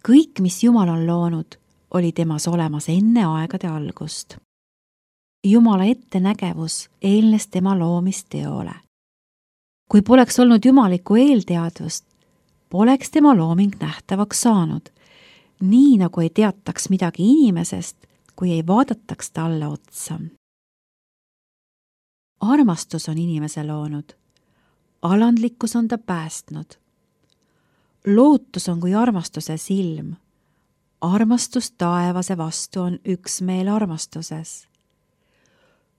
Kõik, mis Jumal on loonud, oli temas olemas enne aegade algust. Jumala ettenägevus eelnes tema loomisteole. Kui poleks olnud jumalikku eelteadvust, poleks tema looming nähtavaks saanud, nii nagu ei teataks midagi inimesest, kui ei vaadataks talle otsa. Armastus on inimese loonud, alandlikkus on ta päästnud. Lootus on kui armastuse silm. Armastus taevase vastu on üksmeel armastuses.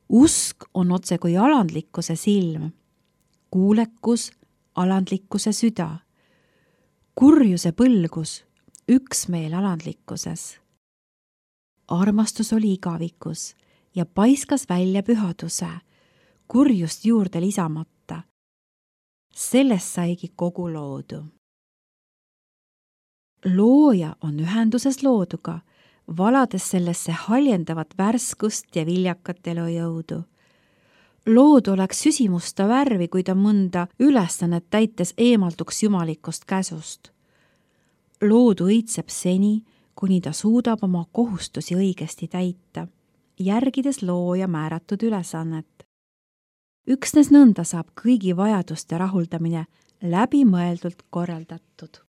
Usk on otse kui alandlikkuse silm. Kuulekus, alandlikkuse süda. Kurjuse põlgus, üksmeel alandlikkuses. Armastus oli igavikus ja paiskas välja pühaduse, kurjust juurde lisamata. Sellest saigi kogu loodu. Looja on ühenduses looduga, valades sellesse haljendavat värskust ja viljakat elujõudu. Loodu oleks süsimusta värvi, kui ta mõnda ülesannet täites eemalduks jumalikust käsust. Loodu õitseb seni, kuni ta suudab oma kohustusi õigesti täita, järgides looja määratud ülesannet. Üksnes nõnda saab kõigi vajaduste rahuldamine läbimõeldult korraldatud.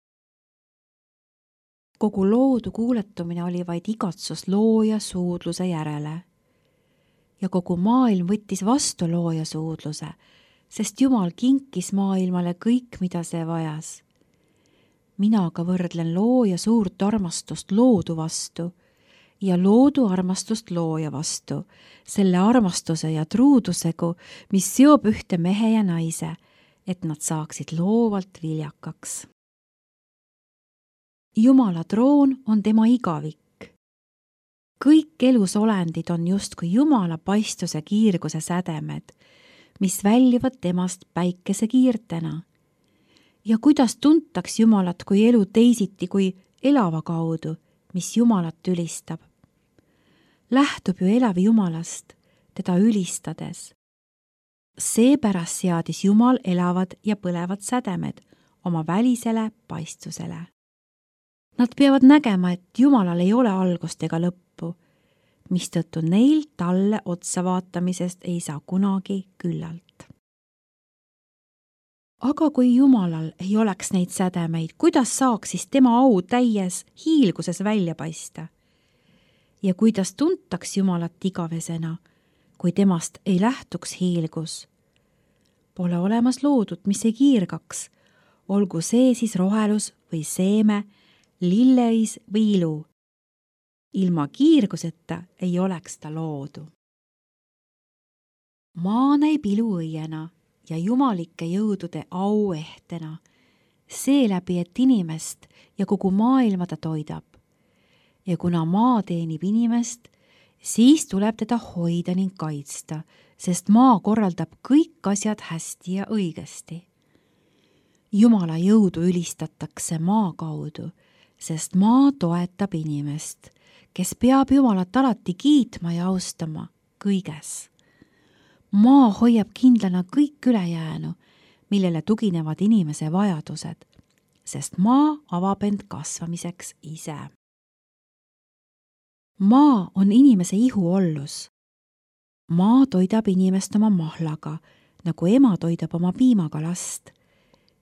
Kogu loodu kuuletumine oli vaid igatsus looja suudluse järele. Ja kogu maailm võttis vastu looja suudluse, sest Jumal kinkis maailmale kõik, mida see vajas. Mina aga võrdlen looja suurt armastust loodu vastu ja loodu armastust looja vastu, selle armastuse ja truudusegu, mis seob ühte mehe ja naise, et nad saaksid loovalt viljakaks. Jumala troon on tema igavik. Kõik elusolendid on justkui Jumala paistuse kiirguse sädemed, mis väljuvad temast päikese kiirtena. Ja kuidas tuntaks Jumalat kui elu teisiti kui elava kaudu, mis Jumalat ülistab? Lähtub ju elav Jumalast, teda ülistades. Seepärast seadis Jumal elavad ja põlevad sädemed oma välisele paistusele. Nad peavad nägema, et Jumalal ei ole algust ega lõppu, mistõttu neil talle otsa vaatamisest ei saa kunagi küllalt. Aga kui Jumalal ei oleks neid sädemeid, kuidas saaks siis tema au täies hiilguses välja paista? Ja kuidas tuntaks Jumalat igavesena, kui temast ei lähtuks hiilgus? Pole olemas loodut, mis ei kiirgaks, olgu see siis rohelus või seeme, lilleis või ilu. Ilma kiirguseta ei oleks ta loodu. Maa näib ilu õiena ja jumalike jõudude au ehtena, seeläbi, et inimest ja kogu maailma ta toidab. Ja kuna maa teenib inimest, siis tuleb teda hoida ning kaitsta, sest maa korraldab kõik asjad hästi ja õigesti. Jumala jõudu ülistatakse maa kaudu, sest maa toetab inimest, kes peab Jumalat alati kiitma ja austama kõiges. Maa hoiab kindlana kõik ülejäänu, millele tuginevad inimese vajadused, sest maa avab end kasvamiseks ise. Maa on inimese ihuollus. Maa toidab inimest oma mahlaga, nagu ema toidab oma piimaga last.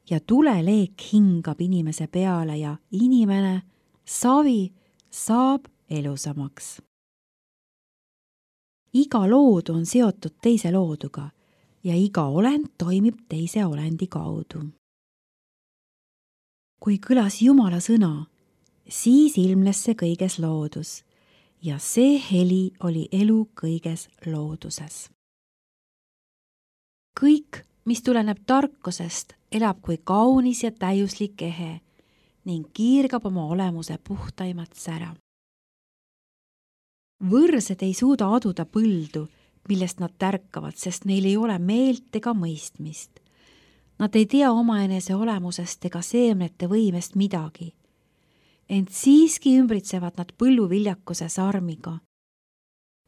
Ja tuleleek hingab inimese peale ja inimene, savi, saab elusamaks. Iga loodu on seotud teise looduga ja iga olend toimib teise olendi kaudu. Kui kõlas Jumala sõna, siis ilmnes see kõiges loodus ja see heli oli elu kõiges looduses. Kõik, mis tuleneb tarkusest, elab kui kaunis ja täiuslik ehe ning kiirgab oma olemuse puhtaimat sära. Võrsed ei suuda aduda põldu, millest nad tärkavad, sest neil ei ole meelt ega mõistmist. Nad ei tea omaenese olemusest ega seemnete võimest midagi. Ent siiski ümbritsevad nad põlluviljakuse sarmiga.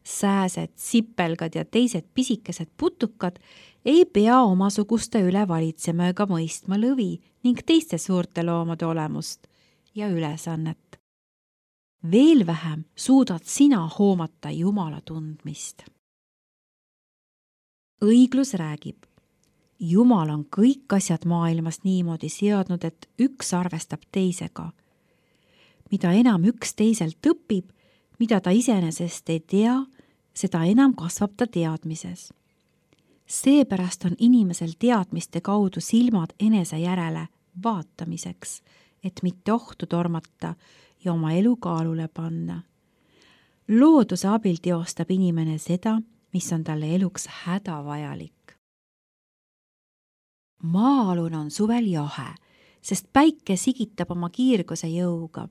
Sääsed, sipelgad ja teised pisikesed putukad ei pea omasuguste üle valitsema ega mõistma lõvi ning teiste suurte loomade olemust ja ülesannet. veel vähem suudad sina hoomata Jumala tundmist. Õiglus räägib, Jumal on kõik asjad maailmas niimoodi seadnud, et üks arvestab teisega. Mida enam üks teiselt õpib, mida ta iseenesest ei tea, seda enam kasvab ta teadmises. Seepärast on inimesel teadmiste kaudu silmad enese järele vaatamiseks, et mitte ohtu tormata ja oma elu kaalule panna. Looduse abil teostab inimene seda, mis on talle eluks hädavajalik. Maa-alune on suvel jahe, sest päike sigitab oma kiirguse jõuga.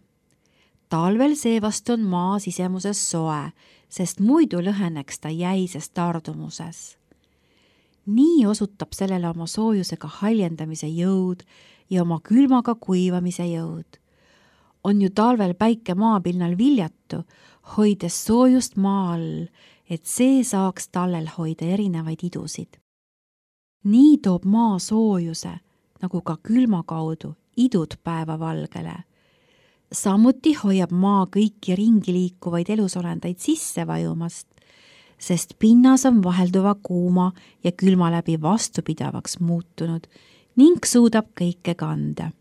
Talvel seevast on maa sisemuses soe, sest muidu lõheneks ta jäises tardumuses. Nii osutab sellele oma soojusega haljendamise jõud ja oma külmaga kuivamise jõud. On ju talvel päike maapinnal viljatu, hoides soojust maa all, et see saaks tallel hoida erinevaid idusid. Nii toob maa soojuse, nagu ka külma kaudu, idud päevavalgele. Samuti hoiab maa kõiki ringi liikuvaid elusolendaid sisse vajumast, sest pinnas on vahelduva kuuma ja külma läbi vastupidavaks muutunud ning suudab kõike kanda.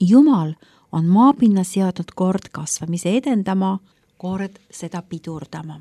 Jumal on maapinna seadnud kord kasvamise edendama, kord seda pidurdama.